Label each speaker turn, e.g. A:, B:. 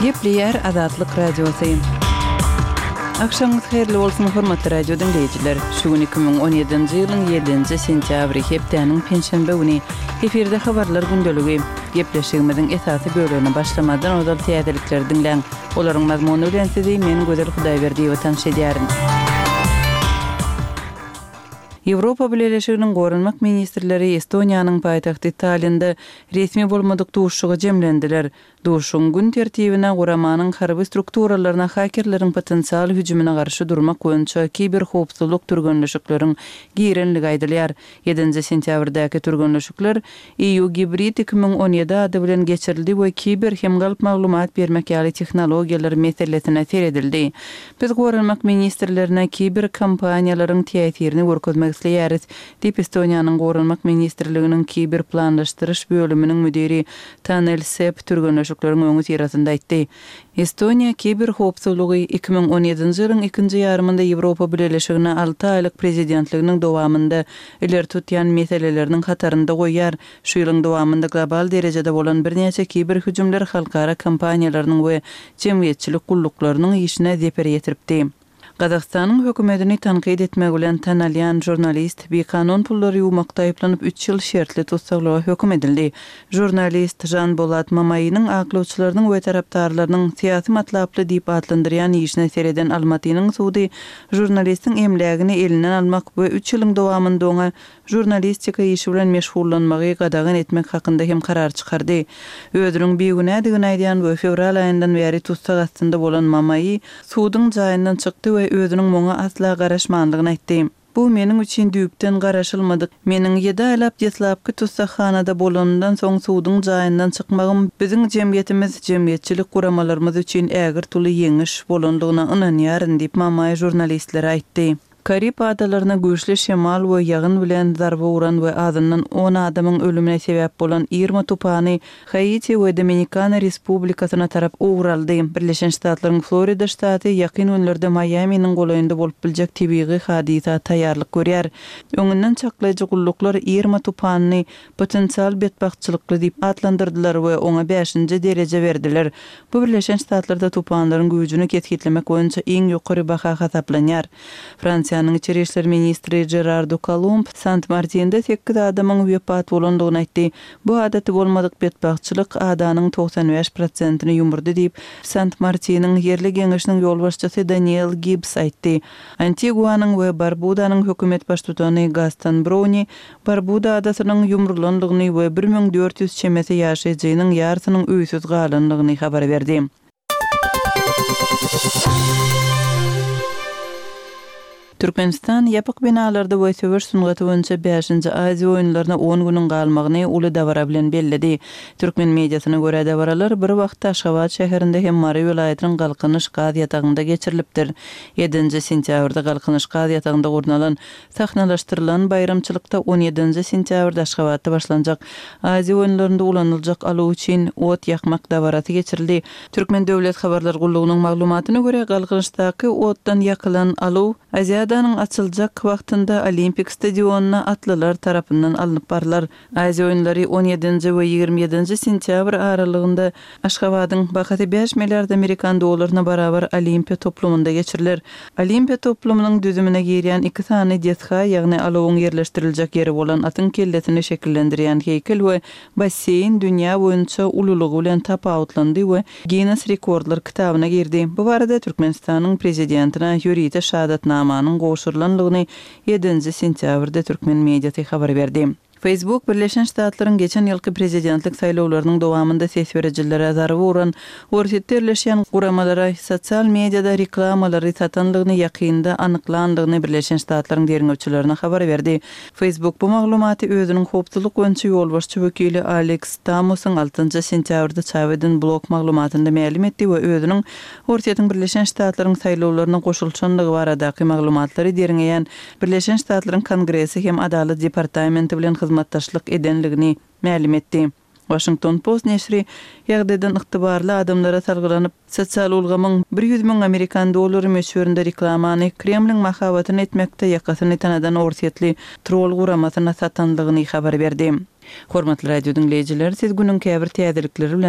A: Gepleyer Azatlyk Radiosu. Akşamınız hayırlı olsun hormatly radio dinleyijiler. Şu gün 2017-nji ýylyň 7-nji sentýabry hepdeniň penşenbe güni eferde habarlar gündöligi. Gepleşigimiziň esasy bölümine başlamadan ozal täzelikleri dinleň. Olaryň mazmuny bilen sizi men Gözel Hudaýberdiýew tanşydýaryn. Ýewropa Birleşiginiň Gorunmak ministrleri Estoniýanyň paýtagty Tallinnde resmi bolmadyk duşuşyga jemlendiler. Duşuşyň gün tertibine guramanyň harby strukturalaryna hakerleriň potensial hüjümine garşy durmak boýunça kiber howpsuzlyk türgünleşikleriň girenligi aýdylýar. 7-nji sentýabrdaky türgünleşikler EU Hybrid 2017 ady bilen geçirildi we kiber hem galyp maglumat bermek ýaly tehnologiýalar meselesine seredildi. Biz Gorunmak ministrlerine kiber kampaniýalaryň täsirini görkezmek isleýäris, diýip Estoniýanyň Gorunmak ministrliginiň kiber planlaşdyryş bölüminiň müdiri Tanel Sepp türgünleşikleriň öňü tirasynda aýtdy. Estoniýa kiber howpsuzlygy 2017-nji ýylyň 2-nji ýarymynda Ýewropa Birleşigine 6 aýlyk prezidentliginiň dowamında ileri tutýan meseleleriniň hatarynda goýýar. Şu ýylyň dowamında global derejede bolan bir näçe kiber hüjümler halkara kampaniýalarynyň we jemgyýetçilik gulluklarının işine zeper ýetiripdi. Gazakstanyň hökümetini tanqid etmek bilen tanalýan jurnalist bir kanun pullary ýuwmakda aýplanyp 3 ýyl şertli tutsaklyga höküm edildi. Jurnalist Jan Bolat Mamaýynyň aklawçylarynyň we tarapdarlarynyň siýasy matlaply diýip adlandyrýan işine sereden Almatynyň sudy jurnalistiň emlegini elinden almak we 3 ýylyň dowamında oňa jurnalistika işi bilen meşgullanmagy gadagyn etmek hakynda hem karar çykardy. Özüniň beýgünädigini aýdýan we fevral aýyndan beri tutsak astynda bolan Mamaýy sudyň jaýyndan çykdy we özüniň moňa asla garaşmandygyny aýtdy. Bu meniň üçin düýpden garaşylmadyk. Meniň 7 aýlap ýetlapky tutsakhanada bolanyndan soň sudyň jaýyndan çykmagym biziň jemgyýetimiz, jemgyýetçilik guramalarymyz üçin ägir tuly ýeňiş bolandygyna ynanýaryn diýip Mamaýy jurnalistlere aýtdy. Karip adalaryna güýçli şemal we ýagyn bilen zarba uran we azyndan 10 adamyň ölümine sebäp bolan Irma tupany Haiti we Dominikana Respublikasyna tarap ugraldy. Birleşen Ştatlaryň Florida ştaty ýakyn günlerde Miami'niň golaýynda bolup biljek tabii hadisa taýýarlyk görýär. Öňünden çaklaýjy gulluklar Irma tupanyny potensial betbagtçylykly diýip adlandyrdylar we oňa 5-nji dereje berdiler. Bu Birleşen Ştatlarda tupanlaryň güýjüni ketgitlemek boýunça iň ýokary baha hasaplanýar. Fransiýanyň Içeri işler ministri Gerardo Colomb Sant Martin'de 8 adamyň wepat bolandygyny aýtdy. Bu adaty bolmadyk betbagtçylyk adanyň 95%-ni ýumurdy diýip Sant Martin'in yerli geňeşiniň ýol başçysy Daniel Gibbs aýtdy. Antiguanyň we Barbudanyň hökümet baştutany Gaston Brownie Barbuda adasynyň ýumurlandygyny we 1400 çemesi ýaşaýjynyň ýarsynyň öýsüz galandygyny habar berdi. Türkmenistan ýapyk binalarda we söwüş sungaty boýunça 5-nji Aziýa oýunlaryna 10 güniň galmagyny uly dawara bilen belledi. Türkmen mediasyna görä dawaralar bir wagtda Aşgabat şäherinde hem Mary vilayatynyň Galkynyş gaz ýatagynda geçirilipdir. 7-nji sentýabrda Galkynyş gaz ýatagynda gurnalan sahnalaşdyrylan bayramçylykda 17-nji sentýabrda Aşgabatda başlanjak Aziýa oýunlarynda ulanyljak alu üçin ot ýakmak dawarasy geçirildi. Türkmen döwlet habarlar gullugynyň maglumatyna görä Galkynysdaky otdan ýakylan alu Aziýa açıljak wagtynda Olimpik stadionuna atlılar tarapyndan alınıp barlar. Aziýa oýunlary 17-nji we 27-nji sentýabr aralygynda Aşgabatyň bakaty 5 milliard Amerikan dollaryna barabar Olimpiya toplumunda geçirilir. Olimpiya toplumynyň düzümine girýän 2 sany detha, ýagny alawyň yerleşdiriljek ýeri bolan atyň kellesini şekillendirýän heykel we basseyn dünýä boýunça ululugy bilen tapawutlandy we Guinness Rekordlar kitabyna girdi. Bu barada Türkmenistanyň prezidentina Ýurita Şadatnamanyň goşurlanlygyny 7-nji sentýabrda Türkmen mediasy habar berdi. Facebook Birleşen Ştatlaryň geçen ýylky prezidentlik saýlawlarynyň dowamında ses berejilere zarby uran orsetlerleşýän guramalara sosial mediada reklamalary satanlygyny ýakynda anyklandygyny Birleşen Ştatlaryň derňewçilerine habar berdi. Facebook bu maglumaty özüniň howpsuzlyk boýunça ýolbaşçy wekili Alex Stamusyň 6-njy sentýabrda çawydyn blog maglumatynda ma'lum etdi we özüniň orsetýän Birleşen Ştatlaryň saýlawlaryna goşulçanlygy baradaky maglumatlary derňeýän Birleşen Ştatlaryň Kongresi hem Adalet Departamenti bilen hizmetdaşlyk edenligini ma'lum etdi. Washington Post neşri ýagdaýdan ygtybarly adamlara salgylanyp sosial ulgamyň 100.000 Amerikan dollary meşhurunda reklamany Kremliň mahabatyny etmekde ýakasyny tanadan orsetli troll guramasyna satanlygyny habar berdi. Hormatly radio dinleyijiler, siz günüň käbir täzelikleri bilen